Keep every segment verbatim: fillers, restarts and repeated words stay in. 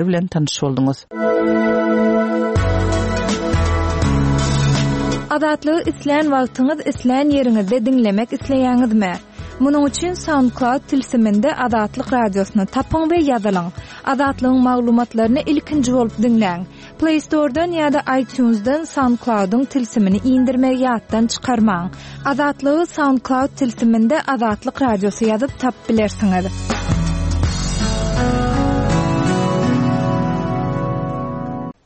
Bilen tanyş bolduňyz. Azatlygy islän wagtyňyz, islän ýeriňizde diňlemek isleýäňizmi? Munuň üçin SoundCloud tilsiminde Azatlyk radiosyny tapyň we ýazylyň. Azatlygyň maglumatlaryny ilkinji bolup diňläň. Play Store'dan ýa-da iTunes'dan SoundCloud'yň tilsimini indirmegi ýatdan çykarmaň. Azatlygy SoundCloud tilsiminde Azatlyk radiosy ýazyp tapyp bilersiňiz.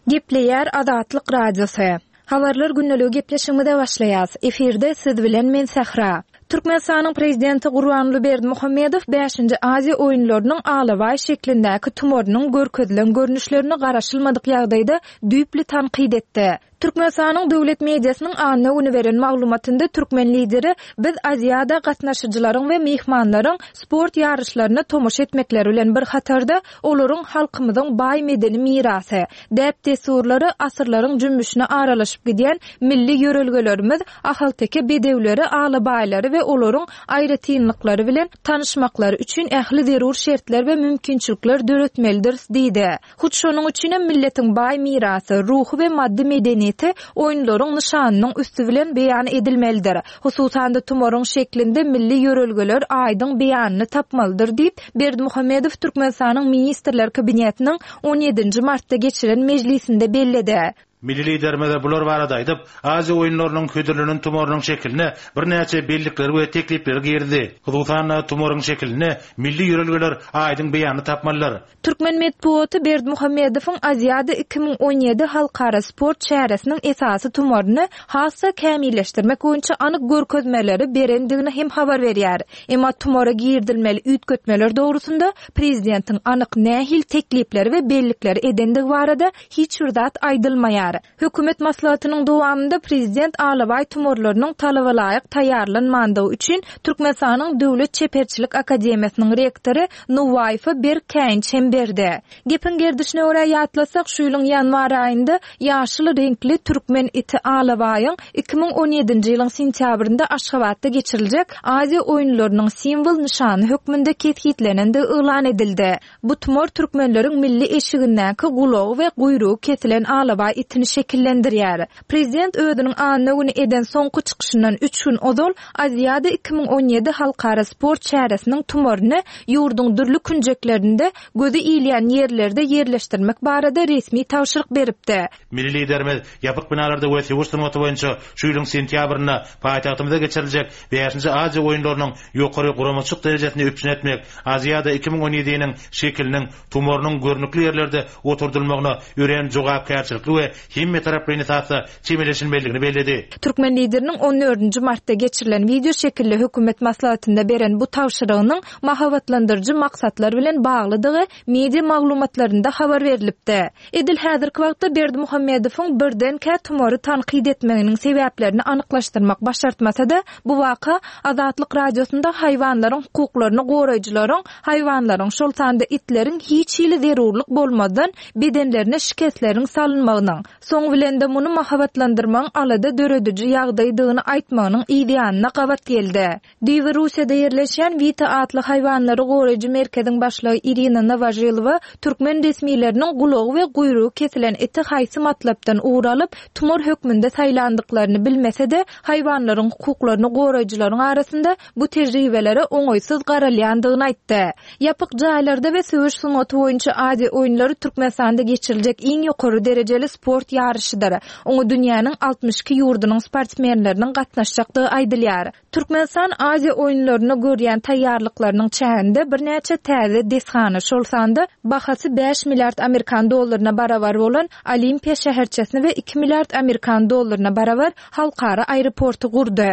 Gepleýär Azatlyk Radiosy. Habarlar gündeligi gepleşigimize başlaýas. Efirde siz bilen men Sahra. Türkmenistanyň prezidenti Gurbanguly Berdimuhamedow bäşinji Aziýa oýunlarynyň alabaý şeklindäki tumarynyň görkezilen görnüşlerini garaşylmadyk ýagdaýda düýpli tankyt etdi. Türkmenistanyň döwlet mediasynyň anna güni beren maglumatynda türkmen lideri biz Aziýada gatnaşyjylaryň we myhmanlaryň sport ýaryşlaryna tomaşa etmekleri bilen bir hatarda olaryň halkymyzyň baý medeni mirasy, däp-dessurlary asyrlaryň jümmüşine aralaşyp gidýän milli ýörelgelerimiz, ahalteke bedewleri, alabaýlary we olaryň aýratynlyklary bilen tanyşmaklary üçin ähli zerur şertler we mümkinçilikler döretmelidiris diýdi. Hut şonuň üçin hem milletiň baý mirasy, ruhy we maddy medeniýeti oýunlaryň nyşanynyň üsti bilen beýan edilmelidir. Hususan-da tumaryň şeklinde milli ýörelgeler aýdyň beýanyny tapmalydyr diýip, Berdimuhamedow Türkmenistanyň Ministrler Kabinetiniň on ýedinji martda geçiren mejlisinde belledi. Milli Liderimiz bular barada aýdyp, Aziýa oýunlarynyň hödürlenen tumarynyň şekiline birnäçe bellikleri we teklipleri girizdi. Hususan-da, tumaryň şekilinde milli ýörelgeler aýdyň beýanyny tapmalydyr. Türkmen metbugaty Berdimuhamedowyň Aziada iki müň on ýedi halkara sport çäresiniň esasy tumaryny has-da kämilleşdirmek boýunça anyk görkezmeleri berendigini hem habar berýär. Emma tumara girizilmeli üýtgetmeler dogrusynda prezidentiň anyk nähili teklipleri we bellikleri edendigi barada hiç bir zat aýdylmaýar. Hökümet maslahatynyň dowamynda prezident alabaý tumarlarynyň talaba laýyk taýýarlanmandygy üçin Türkmenistanyň Döwlet Çeperçilik Akademiýasynyň rektory Nuwaýewe berk käýinç hem berdi. Gepiň gerdişine görä ýatlasak, şu ýylyň ýanwar aýynda ýaşyl reňkli türkmen iti alabaýyň iki müň on ýedinji ýylyň sentýabrynda Aşgabatda geçiriljek Aziýa oýunlarynyň simwol nyşany hökmünde kesgitlenendigi yglan edildi. Bu tumar türkmenleriň milli eşigindäki gulagy we guýrugy kesilen alabaý itini şekillendirýär. Prezident özüniň anna güni eden soňky çykyşyndan üç gün ozal Aziýada iki müň on ýedi halkara sport çäresiniň tumaryny ýurduň dürli künjeklerinde gözi ilýän ýerlerde ýerleşdirmek barada resmi tabşyryk beripdi. Milli Liderimiz ýapyk binalarda we söweş sungaty boýunça şu ýylyň sentýabrynda paýtagtymyzda geçiriljek bäşinji Aziýa oýunlarynyň ýokary guramaçylyk derejesini üpjün etmek, Aziýada iki müň on ýediniň şekiliniň tumarynyň görnükli ýerlerde oturdylmagyna örän jogapkärçilikli we hemmetaraplaýyn esasda çemeleşilmelidigini belledi. Türkmen lideriniň on dördünji martda geçirilen wideo şekilli hökümet maslahatynda beren bu tabşyrygynyň mahabatlandyryjy maksatlar bilen baglydygy media maglumatlarynda habar berilipdi. Edil häzirki wagtda Berdimuhamedowyň birdenkä tumary tankyt etmeginiň sebäplerini anyklaşdyrmak başartmasa-da, bu waka Azatlyk radiosynda haýwanlaryň hukuklaryny goraýjylaryň, haýwanlaryň, şol sanda itleriň hiç hili zerurlyk bolmazdan bedenlerine şikesleriň salynmagynyň, soň bilen de muny mahabatlandyrmagyň alada dörediji ýagdaýdygyny aýtmagynyň ýanyna gabat geldi. Düýbi Russiýada ýerleşýän Vita atly haýwanlary goraýjy merkeziň başlygy Irina Nowažilowa türkmen resmileriniň gulagy we guýrugy kesilen iti haýsy matlapdan ugur alyp, tumar hökmünde saýlandyklaryny bilmese-de, haýwanlaryň hukuklaryny goraýjylaryň arasynda bu tejribelere oňaýsyz garalýandygyny aýtdy. Ýapyk jaýlarda we söweş sungaty boýunça Aziýa oýunlary Türkmenistanda geçiriljek iň ýokary derejeli sport ýaryşydyr. Oňa dünýäniň altmyş iki ýurdunyň sportsmenleriniň gatnaşjakdygy aýdylýar. Türkmenistan Aziýa oýunlaryna görýän taýýarlyklarynyň çäginde birnäçe täze desgany, şol sanda bahasy bäş milliard amerikan dollaryna barabar bolan Olimpiýa şäherçesini we iki milliard amerikan dollaryna barabar halkara aeroporty gurdy.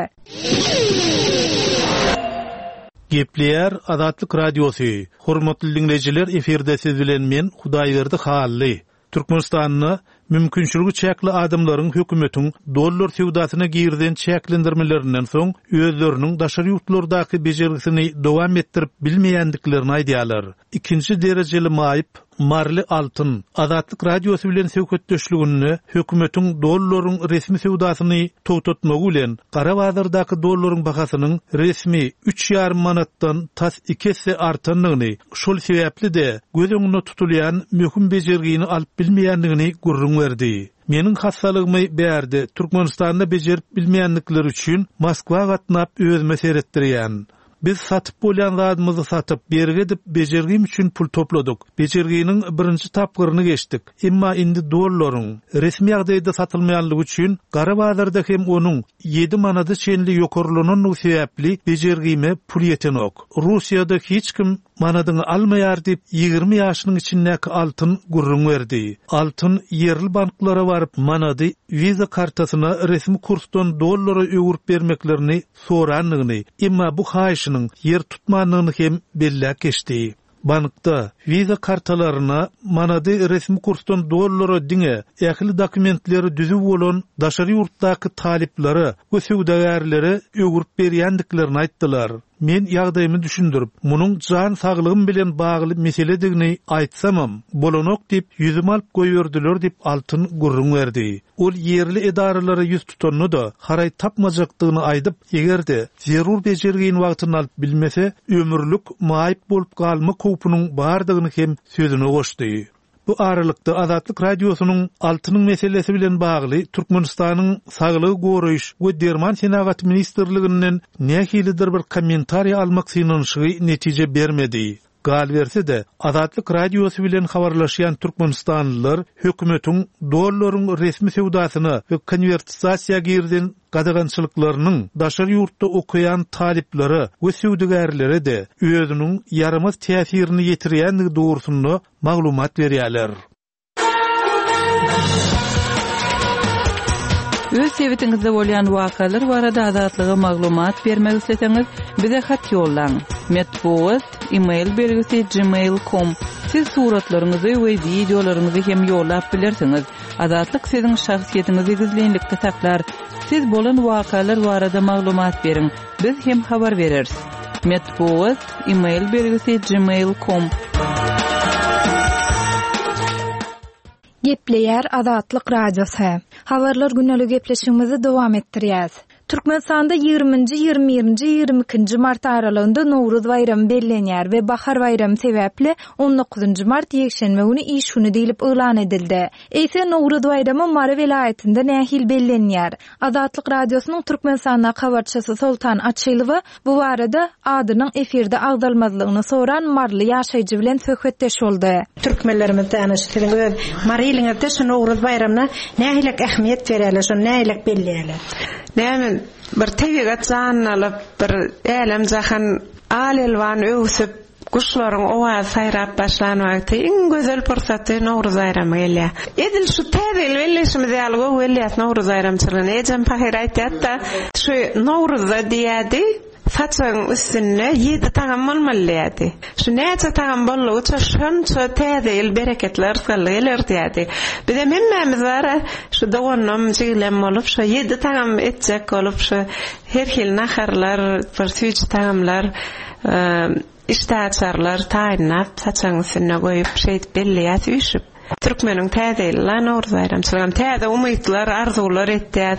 Gepleýär Azatlyk radiosy. Hormatly dinleýjiler, efirde siz bilen men Hudaýberdi Hally. Türkmenistanda Mümkinçiligi çäkli adamlaryň hökümetiň dollar söwdasyna girizen çäklendirmelerinden soň özleriniň daşary ýurtlardaky bejergisini dowam etdirip bilmeýändiklerini aýdýarlar. Ikinji derejeli maýyp Marly Altyn Azatlyk Radiosy bilen söhbetdeşliginde hökümetiň dollaryň resmi söwdasyny togtatmagy bilen gara bazardaky dollaryň bahasynyň resmi üç ýarym manatdan tas iki esse artandygyny, şol sebäpli-de göz öňünde tutulýan möhüm bejergini alyp bilmeýändigini gürrüň berdi. Meniň hassalygymy bärde Türkmenistanda bejerip bilmeýändikleri üçin Moskwa gatnap özüme seretdirýän. Biz satyp bolýan zadymyzy satyp, bergi edip bejergim üçin pul topladyk. Bejerginiň birinji tapgyryny geçdik. Emma indi dollaryň resmi ýagdaýda satylmaýanlygy üçin gara bazarda hem onuň ýedi manada çenli ýokarlananlygy sebäpli bejergime pul ýetenok. Russiýada hiç kim manadyňy almaýar diýip ýigrimi ýaşynyň içindäki Altyn gürrüň berdi. Altyn ýerli banklara baryp manady Visa kartasyna resmi kursdan dollara öwürip bermeklerini sorandygyny, emma bu haýyşynyň ýer tutmandygyny hem belläp geçdi. Bankda Visa kartalaryna manady resmi kursdan dollara diňe ähli dokumentleri düzüw bolan daşary ýurtdaky talyplara we söwdagärlere öwürip berýändiklerini aýtdylar. Men ýagdaýymy düşündirip, munuň jan saglygym bilen bagly meseledigini aýtsamam, bolanok diýip ýüzümi alyp goýberdiler diýip Altyn gürrüň berdi. Ol ýerli edaralara ýüz tutanda-da haraý tapmajakdygyny aýdyp, eger-de zerur bejergini wagtynda alyp bilmese, ömürlik maýyp bolup galmak howpunyň bardygyny hem sözüne goşdy. Bu aralykda Azatlyk Radiosynyň Altynyň meselesi bilen bagly Türkmenistanyň Saglygy goraýyş we derman senagaty ministrliginden nähilidir bir kommentariý almak synanyşygy netije bermedi. Galyberse-de, Azatlyk Radiosy bilen habarlaşýan türkmenistanlylar hökümetiň dollaryň resmi söwdasyna we konwertasiýa girizen gadagançylyklarynyň daşary ýurtda okaýan talyplara we söwdagärlere-de özüniň ýaramaz täsirini ýetirýändigi dogrusynda maglumat berýärler. Öz sebitiňizde bolýan wakalar barada Azatlyga maglumat bermek isleseňiz, bize hat ýollaň. Metbugat, e-mail belgisi gmail nokta com. Siz suratlaryňyzy we wideolaryňyzy hem ýollap bilersiňiz. Azatlyk siziň şahsyýetiňizi gizlinlikde saklar. Siz bolan wakalar barada maglumat beriň. Biz hem habar bereris. Metbugat, e-mail belgisi gmail nokta com. Gepleýär Azatlyk Radiosy. Habarlar güneli gepleşigimizi dowam etdirýäs. Türkmenistanda ýigriminji, ýigrimi birinji, ýigrimi ikinji mart aralygynda Nowruz baýramy bellenýär we bahar baýramy sebäpli on dokuzynjy mart ýekşenbe güni iş güni diýlip yglan edildi. Eýse Nowruz baýramy Mary welaýatynda nähili bellenýär? Azatlyk Radiosynyň Türkmenistandaky habarçysy Soltan Açylowa bu barada adynyň efirde agzalmazlygyny soran Maryly ýaşaýjy bilen söhbetdeş boldy. Türkmenlerimizde ana şu siziň öz Mary iliňizde şu Nowruz baýramyna nähili ähmiýet berýärler, şony nähili belleýärler? Näme bir tebigat janlalyp, bir älem jahan al-elwan öwsüp, guşlaryň owazy saýrap başlan wagty iň gözel pursaty Nowruz baýramy gelýär. Edil şu täze ýyl belleşimiz ýaly gowy gelýär Nowruz baýramçylygyna. Ejem pahyr aýtýar-da, şu Nowruzda diýýärdi, saçagyň üstünde ýedi tagam bolmaly diýýärdi. Şu näçe tagam boldugyça şonça täze ýyl bereketli yrysgally geler diýýärdi. Bizem hemmämiz bar, şu doganam, jigilem bolup, şu ýedi tagam etjek bolup, şu her hil naharlar, bir süýji tagamlar, e, işdäaçarlar taýynlap, saçagyň üstüne goýup, şeýdip belleýäs üýşüp. Türkmeniň täze ýyly Nowruz baýramçylygy, täze umytlar, arzuwlar etýäs.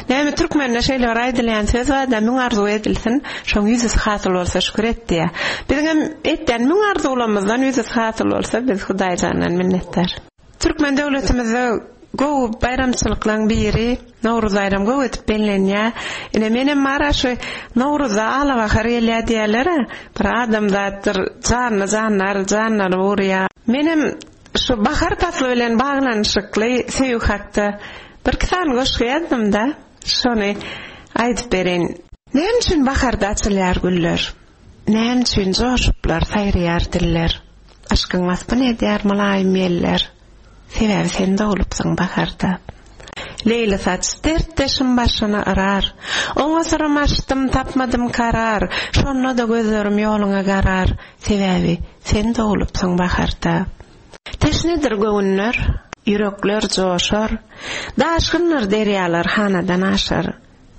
Näme türkmende şeýle bir aýdylýan söz bar da, müň arzuw edilsin, şoň ýüzüsi hasyl bolsa şükür et diýär. Biziň hem etýän müň arzuwlarymyzdan ýüzüsi hasyl bolsa biz Hudaýjandan minnetdar. Türkmen döwletimizde gowy baýramçylyklaryň biri Nowruz baýramy gowy edip bellenýär. Ine menem mara şu Nowruzda alabahar gelýär diýerler-ä. Bir adamzatdyr, janly janlar janlanyp urýar. Menem şu bahar pasly bilen baglanyşykly söýgi hakda bir iki sany goşgy ýazdym da, şony aýdyp bereýin. Näme üçin baharda açylýar güller? Näme üçin joşuplar saýraýar diller? Aşkyň waspyny edýär mylaýym ýeller. Sebäbi sen dogulupsyň baharda. Leýli saç dertdeşim başyny yrar. Oňa syrym açdym, tapmadym karar. Şonda da gözlerim ýoluňa garar. Sebäbi sen dogulupsyň baharda. Teşnedir göwünler, Ýürekler joşar, daşgynlar derýalar hanadan aşar.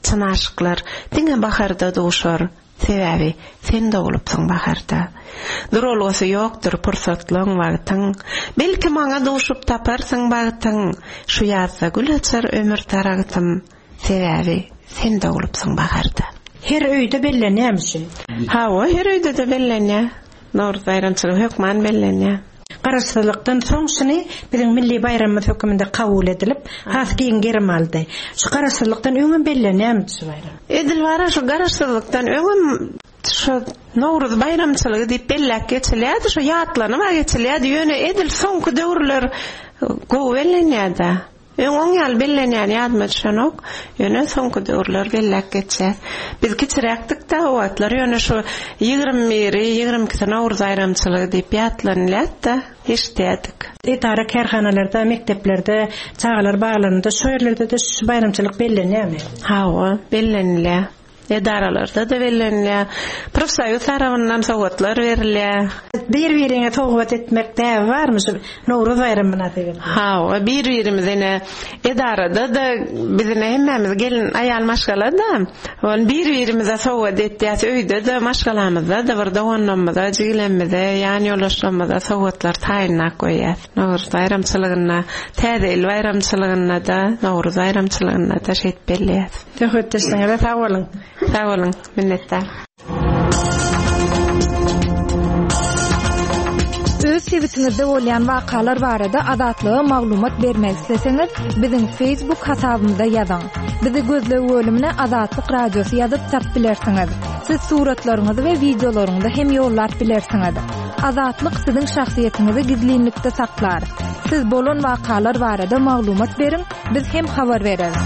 Çyn aşyklar diňe baharda duşar. Sebäbi sen doglupsyň baharda. Duralgasy ýokdur pursatlaň wagtyň. Belki maňa duşup taparsyň bagtyň. Şu ýazda gül açar ömür daragtym. Sebäbi sen doglupsyň baharda. Her öýde bellenýärmi şu? Hawa, her öýde-de bellenýär. Nowruz baýramçylygy hökman bellenýär. Garaşsyzlykdan soň şuny biziň milli baýramymyz hökmünde kabul edilip, has giň gerim aldy. Şu garaşsyzlykdan öňem bellenýärmi şu baýram? Edil bara şu garaşsyzlykdan öňem şu Nowruz baýramçylygy diýip belläp geçilýärdi, şu ýatlanyp geçilýärdi. Ýöne edil soňky döwürler gowy bellenýärdi. Öň oň ýaly bellenýän ýadyma düşenok. Ýöne soňky döwürler belläp geçýär. Biz kiçiräkdik-de o wagtlar, ýöne şu ýigrimi biri, ýigrimi ikisi Nowruz baýramçylygy diýip ýatlanylýardy-da, eşidýärdik. Edara kärhanalarda, mekdeplerde, çagalar baglarynda şu ýerlerde-de şu baýramçylyk bellenýärmi? Hawa, bellenilýär. Edaralarda da bellenilýär. Profsoýuz tarapyndan sowgatlar berilýär. Bir-biriňe sowgat etmek däbi barmy şu Nowruz baýramy mynasybetli? Hawa, bir-birimize ine edarada-da biz ine hemmämiz gelin aýal maşgala-da, ony bir-birimize sowgat etýäs, öýde-de maşgalamyzda-da bir doganlarymyza, jigilerimize, ýan ýoldaşlarymyza sowgatlar taýynlap goýýas. Nowruz baýramçylygynda, Täze ýyl baýramçylygynda-da, Nowruz baýramçylygynda-da şeýdip belleýäs. Söhbetdeşligiňize sag boluň. Sag boluň, minnetdar. Öz sebitiňizde bolýan wakalar barada Azatlyga maglumat bermek isleseňiz, biziň Facebook hasabymyza ýazyň. Bizi gözleg bölümine Azatlyk Radiosy ýazyp tap bilersiňiz. Siz suratlaryňyzy we wideolaryňyzy hem ýollap bilersiňiz. Azatlyk siziň şahsyýetiňizi gizlinlikde saklar. Siz bolan wakalar barada maglumat beriň, biz hem habar bereris.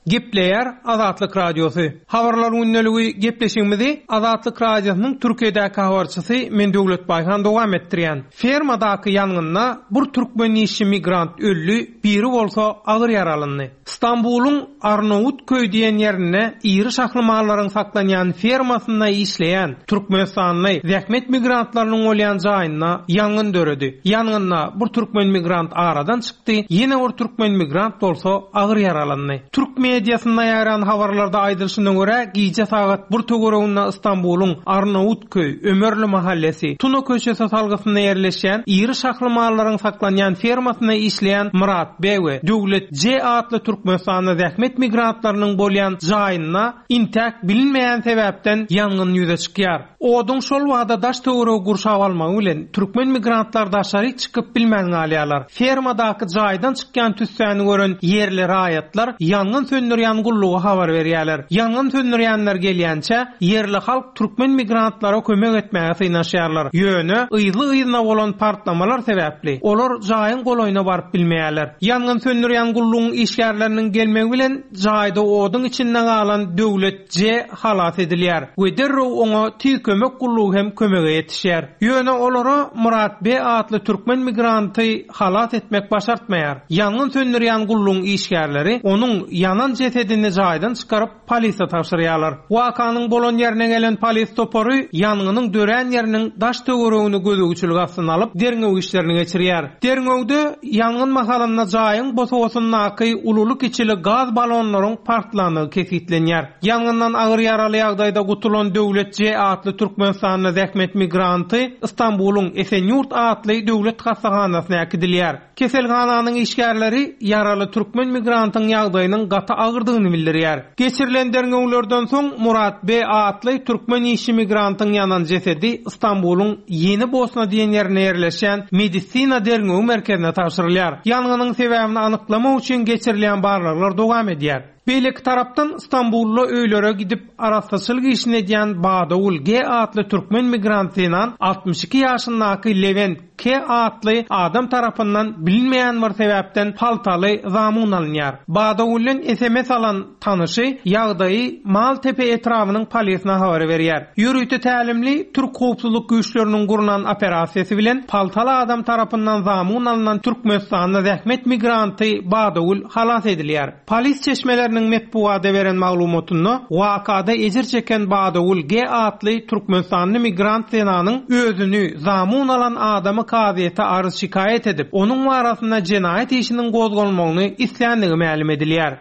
Gepleýär Azatlyk Radiosy. Habarlar gündeligi gepleşigimizi Azatlyk Radiosynyň Türkiýedäki habarçysy men Döwlet Baýhan dowam etdirýän. Fermadaky ýangynda bir türkmen işçi migrant öldi, biri bolsa agyr ýaralandy. Stambulyň Arnawutköý diýen ýerinde iri şahly mallaryň saklanýan fermasynda işleýän Türkmenistanly zähmet migrantlarynyň bolýan jaýynda ýangyn döredi. Ýangynda bir türkmen migrant aradan çykdy, ýene bir türkmen migrant bolsa agyr ýaralandy. Türk mediasynda ýaýran habarlarda aýdylyşyna görä, gije sagat bir töwereginde Stambulyň Arnawutköý Ömerli mahallesi Tuna köçesi salgysynda ýerleşýän iri şahly mallaryň saklanýan fermasynda işleýän Murat B we Döwlet C atly Türkmenistanda zähmet migrantlarynyň bolýan jaýynda intäk bilinmeýän sebäpden ýangyn ýüze çykýar. Oduň şol wagtda daş töweregi gurşap almagy bilen türkmen migrantlar daşary çykyp bilmän galýarlar. Fermadaky jaýdan çykýan tüssäni gören ýerli raýatlar ýangyn söndürýän gulluga habar berýärler. Ýangyn söndürýänler gelýänçe ýerli halk türkmen migrantlara kömek etmäge synaşýarlar. Ýöne yzly-yzyna bolan partlamalar sebäpli olar jaýyň golaýyna baryp bilmeýärler. Ýangyn söndürýän gullugyň işgärleriniň gelmegi bilen jaýda oduň içinde galan Döwlet C halas edilýär we derrew oňa tiz kömek gullugy hem kömege ýetişýär. Ýöne olara Murat B atly türkmen migranty halas etmek başartmaýar. Ýangyn söndürýän gullugyň işgärleri onuň ýanan jesedini jaýdan çykaryp polise tabşyrýarlar. Wakanyň bolan ýerine gelen polis topary ýangynyň dörän ýeriniň daş töweregini gözegçilik astyna alyp derňew işlerini geçirýär. Derňewde ýangyn mahalynda jaýyň bosagasyndaky ululy-kiçili gaz balonlaryň partlandygy kesgitlenýär. Ýangyndan agyr ýaraly ýagdaýda gutulan Döwlet C atly Türkmenistanda zähmet migranty Stambulyň Esenyurt atly döwlet hassahanasyna äkidilýär. Keselhananyň işgärleri ýaraly türkmen migrantyň ýagdaýynyň gaty agyrdygyny bildirýär. Geçirilen derňewlerden soň Murat B atly türkmen işçi migrantyň ýanan jesedi Stambulyň Ýeni Bosna diýen ýerine ýerleşýän medisina derňewi merkezine tabşyrylýar. Ýangynyň sebäbini anyklamak üçin geçirilýän barlaglar dowam edýär. Beýleki tarapdan Stambulda öýlere gidip arassaçylyk işini edýän Badawul G atly türkmen migrant zenan altmyş iki ýaşyndaky Levent K atly adam tarapyndan bilinmeýän bir sebäpden paltaly zamun alynýar. Badagülden S M S alan tanyşy ýagdaýy Maltepe etrabynyň polisine habar berýär. Ýörite tälimli Türk howpsuzlyk güýçleriniň gurnan operasiýasy bilen paltaly adam tarapyndan zamun alynan Türkmenistanda zähmet migranty Badagül halas edilýär. Polis çeşmeleriniň metbugatda beren maglumatynda wakada ejir çeken Badagül G atly Türkmenistanly migrant zenanyň özüni zamun alan adamy kazyýete arz şikaýat edip, onuň arasynda jenaýat işiniň gozgalmagyny isländigi mälim edilýär.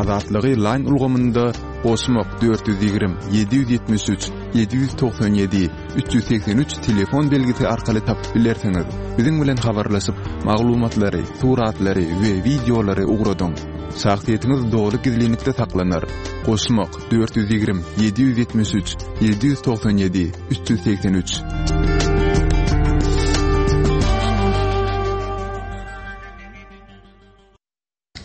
Azatlygy Line ulgamynda goşmak dört ýüz ýigrimi ýedi ýüz ýetmiş üç ýedi ýüz togsan ýedi üç ýüz segsen üç telefon belgisi arkaly tapyp bilersiňiz. Biziň bilen habarlaşyp, maglumatlary, suratlary we wideolary ugradyň. Şahsyýetiňiz doly gizlinlikde saklanar. Goşmak dört ýüz ýigrimi ýedi ýüz ýetmiş üç ýedi ýüz togsan ýedi üç ýüz segsen üç.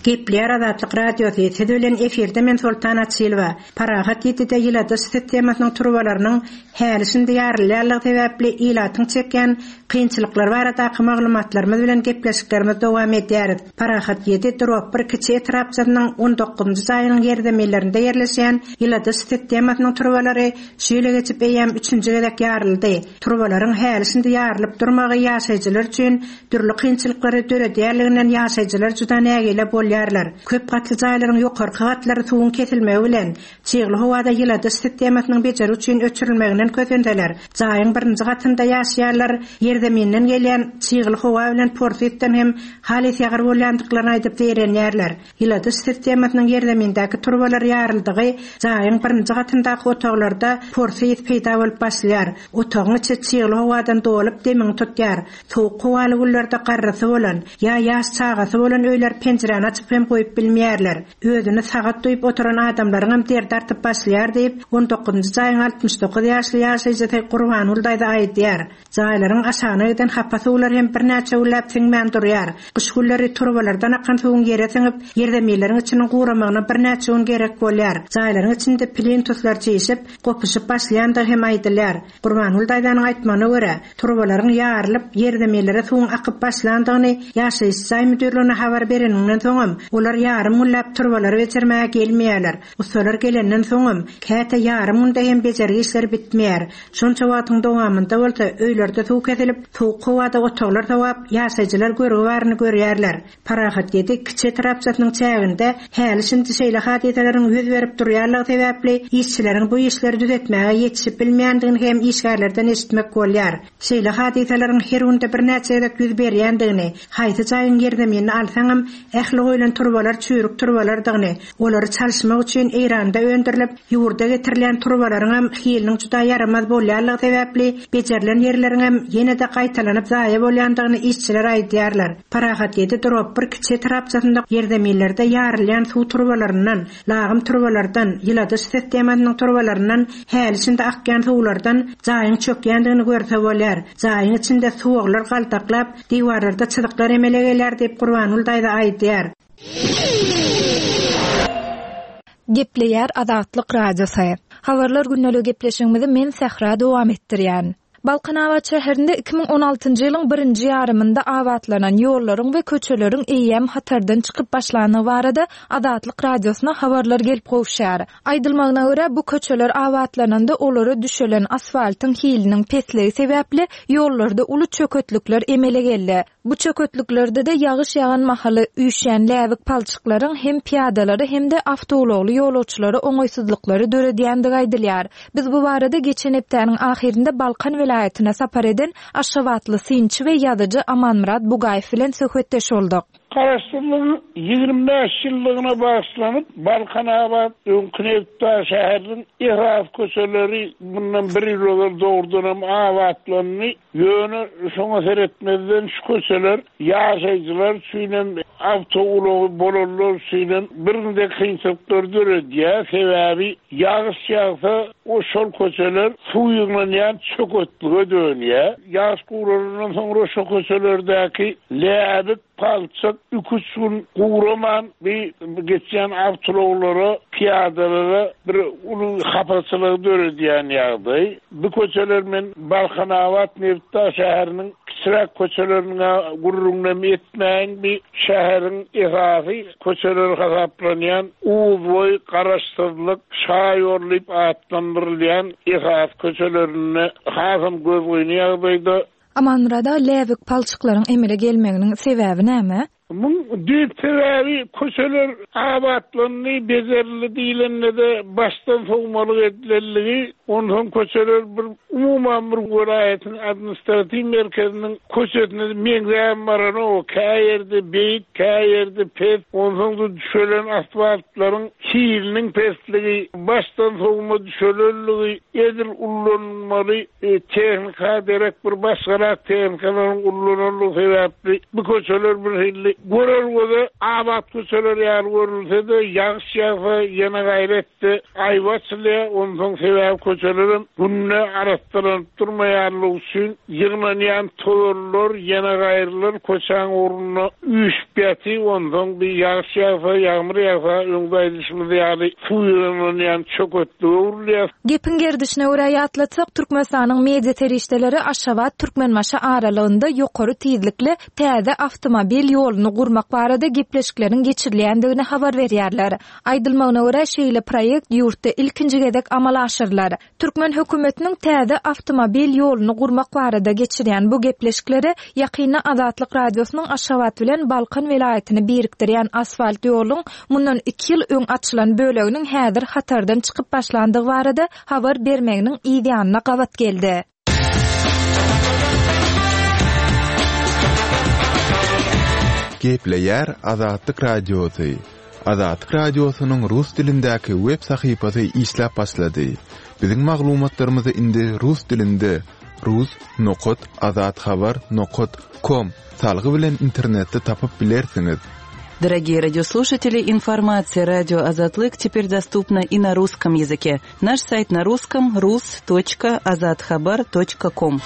Gepleýär Azatlyk Radiosy, siz bilen efirde men Soltan Açylowa. Parahat ýetide ýyladyş sistemasynyň turbalarynyň häli-şindi ýarylýanlygy sebäpli ilatyň çekýän kynçylyklar baradaky maglumatlarymyz bilen gepleşiklerimiz dowam edýäris. Parahat ýedi drop bir kiçi etrapçasynyň on dokuzynjy jaýynyň ýerzeminlerinde ýerleşýän ýyladyş sistemasynyň turbalary şu ýyla geçip eýýäm üçünji gezek ýaryldy. Turbalaryň häli-şindi ýarylyp durmagy ýaşaýjylar üçin dürli kynçylyklary döredýänliginden ýaşaýjylar juda nägile bolýarlar. Köp gatly jaýlaryň ýokarky gatlary suwuň kesilmegi bilen çygly howada ýyladyş sistemasynyň bejeri üçin öçürilmeginden kösenseler, jaýyň birinji gatynda ýaşaýanlar ýerzeminden gelýän çygly howa bilen porsy ysdan hem halys ýagyr bolýandyklaryny aýdyp zeýrenýärler. Ýyladyş sistemasynyň ýerzemindäki turbalar ýaryldygy jaýyň birinji gatyndaky otaglarda porsy ys peýda bolup başlaýar. Otagyň içi çygly howadan dolup demiňi tutýar. Sowuk howaly günlerde garrysy bolan ýa ýaş çagasy bolan öýler penjiräni açyp hem goýup bilmeýärler. Özüni sagat duýup oturan adamlaryň hem derdi artyp başlaýar diýip, on dokuzynjy jaýyň altmyş dokuz ýaşly ýaşaýjysy Gurbangül daýza aýdýar. Jaýlaryň aşagyna giden hapa suwlar hem birnäçe günläp siňmän durýar. Gyş günleri turbalardan akan suwuň ýere siňip, ýerzeminleriň içiniň guramagyna birnäçe gün gerek bolýar. Jaýlaryň içinde plintuslar çişip, gopuşyp başlaýandygy hem aýdylýar. Gurbangül daýzanyň aýtmagyna görä, turbalaryň ýarylyp, ýerzeminlere suwuň akyp başlandygyny ýaşaýyş jaý müdirligine habar bereninden soňam, olar ýarym günläp turbalary bejermäge gelmeýärler. Ustalar gelenden soňam, käte ýarym günde hem bejergi işleri bitmeýär. Şonça wagtyň dowamynda bolsa öýlerde suw kesilip, sowuk howada otaglar sowap, ýaşaýjylar görgi baryny görýärler. Parahat ýedi kiçi etrapçasynyň çäginde häli-şindi şeýle hadysalaryň ýüz berip durýanlygy sebäpli işçileriň bu işleri düzetmäge ýetişip bilmeýändigini hem işgärlerden eşitmek bolýar. Şeýle hadysalaryň her günde birnäçe gezek ýüz berýändigini, haýsy jaýyň ýerzeminini alsaňam ähli goýlan turbalar çüýrük turbalardygyny, olary çalyşmak üçin Eýranda öndürilip ýurda getirilýän turbalaryň hem hiliniň juda ýaramaz bolýanlygy sebäpli bejerilen ýerleriň hem ýene-de gaýtalanyp zaýa bolýandygyny işçiler aýdýarlar. Parahat ýedi drop bir kiçi etrapçasynda ýerzeminlerde ýarylýan suw turbalaryndan, lagym turbalardan, ýyladyş sistemasynyň turbalaryndan häli-şindi akýan suwlardan jaýyň çökýändigini görse bolýar. Jaýyň içinde suwaglar galtaklap, diwarlarda çyzyklar emele gelýär diýip Gurbangül daýza aýdýar. Gepleýär Azatlyk Radiosy. Habarlar gündeligi gepleşigimizi men Sähra dowam etdirýän. Balkanabat şäherinde iki müň on altynjy ýylyň birinji ýarymynda abatlanan ýollaryň we köçeleriň eýýäm hatardan çykyp başlandygy barada Azatlyk Radiosyna habarlar gelip gowuşýar. Aýdylmagyna görä, bu köçeler abatlananda olara düşelen asfaltyň hiliniň pesligi sebäpli ýollarda uly çöketlikler emele geldi. Bu çöketliklerde-de ýagyş ýagan mahaly üýşýän läbik palçyklaryň hem piýadalary hem-de awtoulagly ýolagçylara oňaýsyzlyklary döredýändigi aýdylýar. Biz bu barada geçen hepdäniň ahyrynda Balkan welaýatyna sapar eden Aşgabatly synçy we ýazyjy Amanmyrat Bugaýew bilen söhbetdeş bolduk. Garaşsyzlygyň ýigrimi bäş ýyllygyna bagyşlanyp Balkanabat öňki Nebitdag şäheriniň esasy köçeleri bundan bir ýyl ozal dogrudanam abatlandy. Ýöne şoňa seretmezden şu köçeler ýaşaýjylar üçinem, awtoulagy bolanlar üçinem birinde kynçylyklar döredýär. Sebäbi ýagyş ýagsa o şol köçeler suw ýygnanýan çöketlige dönýär. Ýagyş guralandan soňra şu köçelerdäki läbik Palçyk iki-üç gün guraman bir geçýän awtoulaglara, piýadalara bir uly hapaçylygy döredýän ýagdaý. Bu köçeler men Balkanabat Nebitdag şäheriniň kiçiräk köçelerine gürrüňlem etmäýin bir şäheriň esasy köçeleri hasaplanýan Uzboý, Garaşsyzlyk, Şaýol diýip atlandyrylýan esas köçelerinde hasam gözgyny ýagdaýda. Amanmurada läbik palçyklaryň emele gelmeginiň sebäbi näme? Muň düýp sebäbi köçeler abatlandy, bezerildi diýilende-de başdan sowmalyk edilendigi, onsoň köçeler bir umuman bir welaýatyň administratiw merkeziniň köçesine meňzäm baranok, kä ýerde beýik, kä ýerde pes, onsoň-da düşelen asfaltlaryň hiliniň pesligi, başdan sowma düşelenligi, edil ullanmaly tehnika derek bir başgarak tehnikalaryň ullananlygy sebäpli bu köçeler bir hilli görer göze abat köçeler ýaly görülse-de, ýagyş ýagsa ýene gaýry etse, aýba açylýar, onsoň sebäbi köçelerem günde arassalanyp durmaýanlygy üçin ýygnanýan tozanlar ýene gaýrylar köçäň ugrunda üýşüp ýatyp, onsoň bir ýagyş ýagsa, ýagmyr ýagsa, öňde aýdyşymyz ýaly suw ýygnanýan çöketlige öwrülýär. Gepiň gerdişine görä ýatlatsak, Türkmenistanyň media serişdeleri Aşgabat Türkmenbaşy aralygynda ýokary tizlikli täze awtomobil ýoluny gurmak barada gepleşikleriň geçirilýändigini habar berýärler. Aýdylmagyna görä, şeýle proýekt ýurtda ilkinji gezek amala aşyrylar. Türkmen hökümetiniň täze awtomobil ýoluny gurmak barada geçirýän bu gepleşikleri ýakynda Azatlyk Radiosynyň Aşgabat bilen Balkan welaýatyny birikdirýän asfalt ýoluň mundan iki ýyl öň açylan böleginiň häzir hatardan çykyp başlandygy barada habar bermeginiň ýanyna gabat geldi. Gepleýär Azatlyk Radiosy. Azatlyk Radiosynyň rus dilindäki web sahypasy işläp başlady. Biziň maglumatlarymyzy indi rus dilinde rus nokat azathabar nokat com salgy bilen internetde tapyp bilersiňiz. Дорогие радиослушатели, информация радио Азатлык теперь доступна и на русском языке. Наш сайт на русском rus точка azathabar точка ком.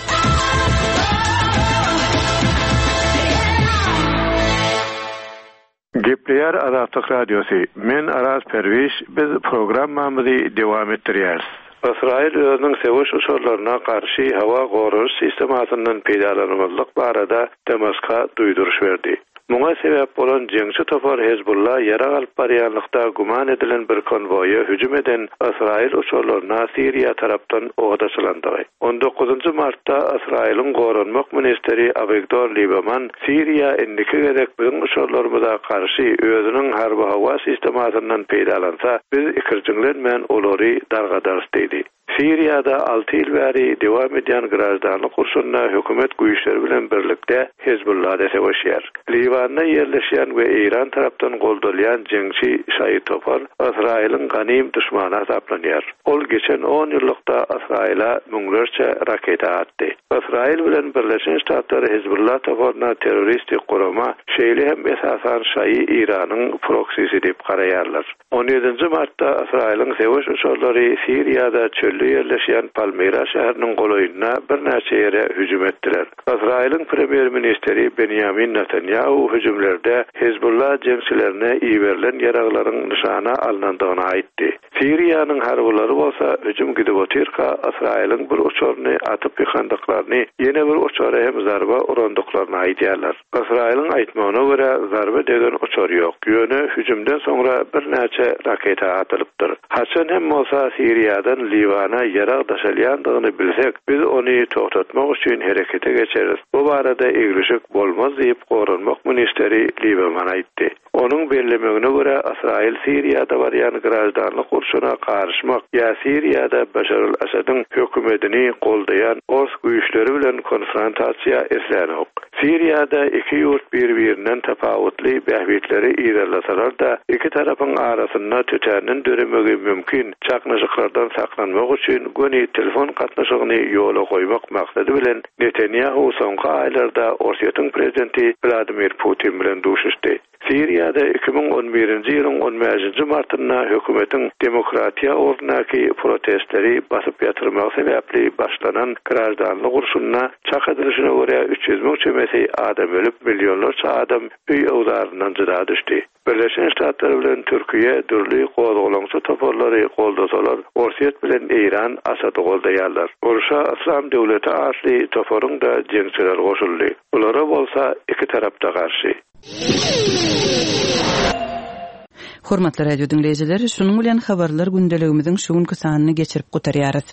Gepleýär Azatlyk Radiosy. Men Araz Perwiş, biz programmamyzy dowam etdirýäris. Ysraýyl özüniň söweş uçarlaryna garşy howa goraýyş sistemasyndan peýdalanmazlyk barada Damaska duýduryş berdi. Muňa sebäp bolan jeňçi topar Hezbollah ýarag alyp barýanlykda güman edilen bir konwoýa hüjüm eden Ysraýyl uçarlaryna Siriýa tarapdan ot açylandygy. On dokuzynjy martda Ysraýylyň goranmak ministri Avigdor Lieberman Siriýa indiki gezek biziň uçarlarymyza garşy özüniň harby howa sistemasyndan peýdalansa, biz ikirjiňlenmän olary dargadarys diýdi. Siriýada alty ýyl bäri dowam edýän graždanlyk urşunda hökümet güýçleri bilen birlikde Hezbollah da söweşýär. Liwanda ýerleşýän we Eýran tarapdan goldalýan jeňçi şaýy topar Ysraýylyň ganym düşmany hasaplanýar. Ol geçen on ýyllykda Ysraýyla müňlerçe raketa atdy. Ysraýyl bilen Birleşen Ştatlar Hezbollah toparyna terroristik gurama, şeýle hem esasan şaýy Eýranyň proksisi diýip garaýarlar. On ýedinji martda Ysraýylyň söweş uçarlary Siriýada çölde ýerleşýän Palmyra şäheriniň golaýynda birnäçe ýere hüjüm etdiler. Ysraýylyň premýer-ministri Benjamin Netanyahu hüjümlerde Hezbollah jeňçilerine iberilen ýaraglaryň nyşana alynandygyny aýtdy. Siriýanyň harbylary bolsa hüjüm gidip otyrka Ysraýylyň bir uçaryny atyp ýykandyklaryny, ýene bir uçara hem zarba urandyklaryny aýdýarlar. Ysraýylyň aýtmagyna görä zarba degen uçar ýok. Ýöne hüjümden soňra birnäçe raketa atylypdyr. Haçan hem bolsa Siriýadan Liwana ýarag daşalýandygyny bilsek, biz ony toxtatmak üçin herekete geçeriz. Bu barada eglişik bolmaz diýip goranmak ministri Lieberman aýtdy. Onuň bellemegine görä Ysraýyl Siriýada barýan graždanlyk urşuna garyşmak ýa Siriýada Başar al-Asadyň hökümetini goldaýan ors güýçleri bilen konfrontasiýa islänok. Siriýada iki ýurt bir-birinden tapawutly bähbitleri yzarlasalar-da, iki tarapyň arasynda tötänden döremegi mümkin çaknyşyklardan saklanmak üçin göni telefon gatnaşygyny ýola goýmak maksady bilen Netanyahu soňky aýlarda Orsýetiň prezidenti Vladimir Putin bilen duşuşdy. Siriýada iki müň on birinji ýylyň on bäşinji martynda hökümetiň demokratiýa ugrundaky protestleri basyp ýatyrmagy sebäpli başlanan graždanlyk urşunda çak edilişine görä üç ýüz müň çemesi adam ölüp, millionlarça adam öý-öwzaryndan jyda düşdi. Birleşen Ştatlar bilen Türkiýe dürli gozgalaňçy toparlary goldasalar, Orsýet bilen Eýran Asady goldaýarlar. Urşa Yslam döwleti atly toparyň-da jeňçileri goşuldy. Bulara bolsa iki tarap-da garşy. Hormatly radio diňleýjiler, şunuň bilen habarlar gündeligimiziň şu günki sanyny geçirip gutarýarys.